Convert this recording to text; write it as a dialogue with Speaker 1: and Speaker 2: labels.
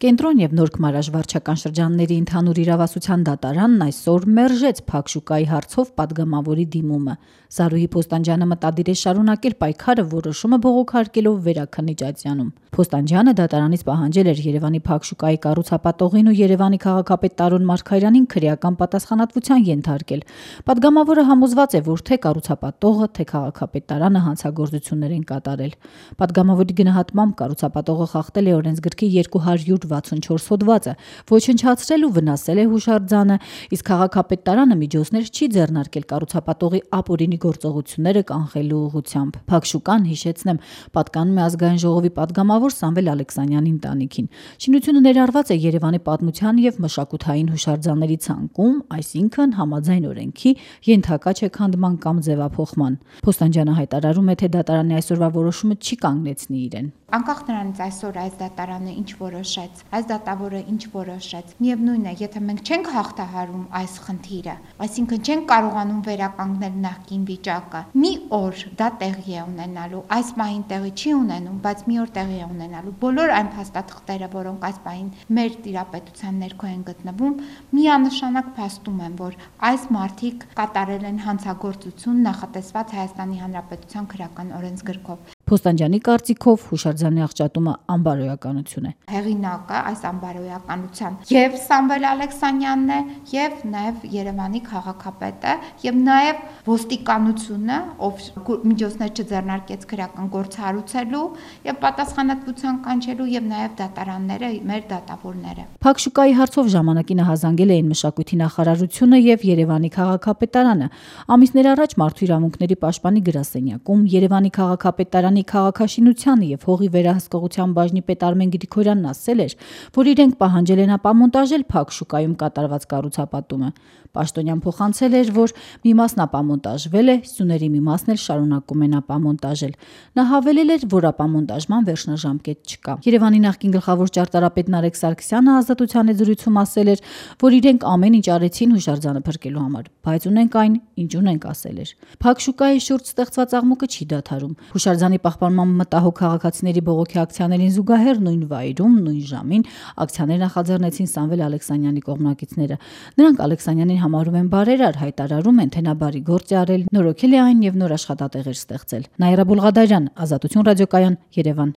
Speaker 1: Կենտրոն եւ Նոր Քմարաժ վարչական շրջանների ընդհանուր իրավասության դատարանն այսօր մերժեց Փակ շուկայի հարցով պատգամավորի դիմումը։ Զարուհի Փոստանջյանը մտադիր է շարունակել պայքարը որոշումը բողոքարկելով Վերաքննիչ ատյանում։ Փոստանջյանը դատարանից պահանջել էր Երևանի Փակ շուկայի կառուցապատողին ու Երևանի քաղաքապետ Տարոն Մարգարյանին քրեական պատասխանատվության ենթարկել։ Պատգամավորը համոզված է, որ թե կառուցապատողը, թե քաղաքապետ Տարանը հանցագործություններ են կատարել։ Պատգամավորի գնահատմամբ կառուցապատողը խախտել է օրենսգրքի 264 հոդվածը, ոչնչացրել ու վնասել է հուշարձանը, իսկ քաղաքապետ Տարանը միջոցներ չի ձեռնարկել կառուցապատողի ապօրինի գործողությունները կանխելու ուղղությամբ։ Փակ շուկան, հիշեցնեմ, պատկանում է Ազգային ժողովի պատգամավոր Սամվել Ալեքսանյանի ընտանիքին։ Շինությունը ներառված է Երևանի պատմության եւ մշակութային հուշարձանների ցանկում, այսինքն համաձայն օրենքի ենթակա չէ քանդման կամ ձևափոխման։ Փոստանջյանը հայտարարում է, թե դատարանի այսօրվա որոշումը չի կանգնեցնի իրեն։
Speaker 2: Անկախ նրանից այսօր այս դատարանը ինչ որոշեց, այս դատավորը ինչ որոշեց, միևնույն է, եթե մենք չենք հաղթահարում այս խնդիրը, այսինքն չենք կարողանում վերականգնել նախկին վիճակը, մի օր դա տեղի է ունենալու, այս պահին տեղի չի ունենում, բայց մի օր տեղի է ունենալու։ Բոլոր այն փաստաթղթերը, որոնք այս պահին մեր տիրապետության ներքո են գտնվում, միանշանակ փաստում են, որ այս մարդիկ կատարել են հանցագործություն նախատեսված Հայաստանի Հանրապետության քրեական օրենսգրքով։
Speaker 1: Փոստանջյանի կարծիքով հուշարձանի աղճատումը անբարոյականություն է։
Speaker 2: Հեղինակը այս անբարոյականության եւ Սամվել Ալեքսանյանն է, եւ նաեւ Երևանի քաղաքապետը, եւ նաեւ ոստիկանությունը, ով միջոցներ չձեռնարկեց քրեական գործ հարուցելու եւ պատասխանատվության կանչելու, եւ նաեւ դատարանները, մեր դատավորները։
Speaker 1: Փակ շուկայի հարցով ժամանակին հազանգել էին մշակույթի նախարարությունը եւ Երևանի քաղաքապետարանը։ Ամիսներ առաջ Մարդու իրավունքների պաշտպանի գրասենյակում Երևանի քաղաքապետարանի քաղաքաշինության եւ հողի վերահսկողության բաժնի պետ Արմեն Գրիգորյանն ասել էր, որ իրենք պահանջել են ապամոնտաժել Փակ շուկայում կատարված կառուցապատումը։ Պաշտոնյան փոխանցել էր, որ մի մասն ապամոնտաժվել է, սյուների մի մասն էլ շարունակում են ապամոնտաժել։ Նա հավելել էր, որ ապամոնտաժման վերջնաժամկետ չկա։ Երևանի նախկին գլխավոր ճարտարապետ Նարեկ Սարգսյանը Ազատության զրույցում ասել էր, որ իրենք ամեն ինչ արեցին հուշարձանը փրկելու համար, բայց ունենք այն, ինչ ունենք, ասել էր։ Փակ շուկայի շուրջ ստեղծված աղմուկը չի դադարում։ Հուշարձանի պահպանման մտահոգ քաղաքացիների բողոքի ակցիաներին զուգահեռ նույն վայրում, նույն ժամին ակցիաներ նախաձեռնեցին Սամվել Ալեքսանյանի կողմնակիցները։ Նրանք Ալեքսանյանին համարում են բարերար, հայտարարում են, թե նա բարի գործ է արել, նորոգել է այն եւ նոր աշխատատեղեր ստեղծել։ Նաիրա Բուլղադարյան, Ազատություն ռադիոկայան, Երևան։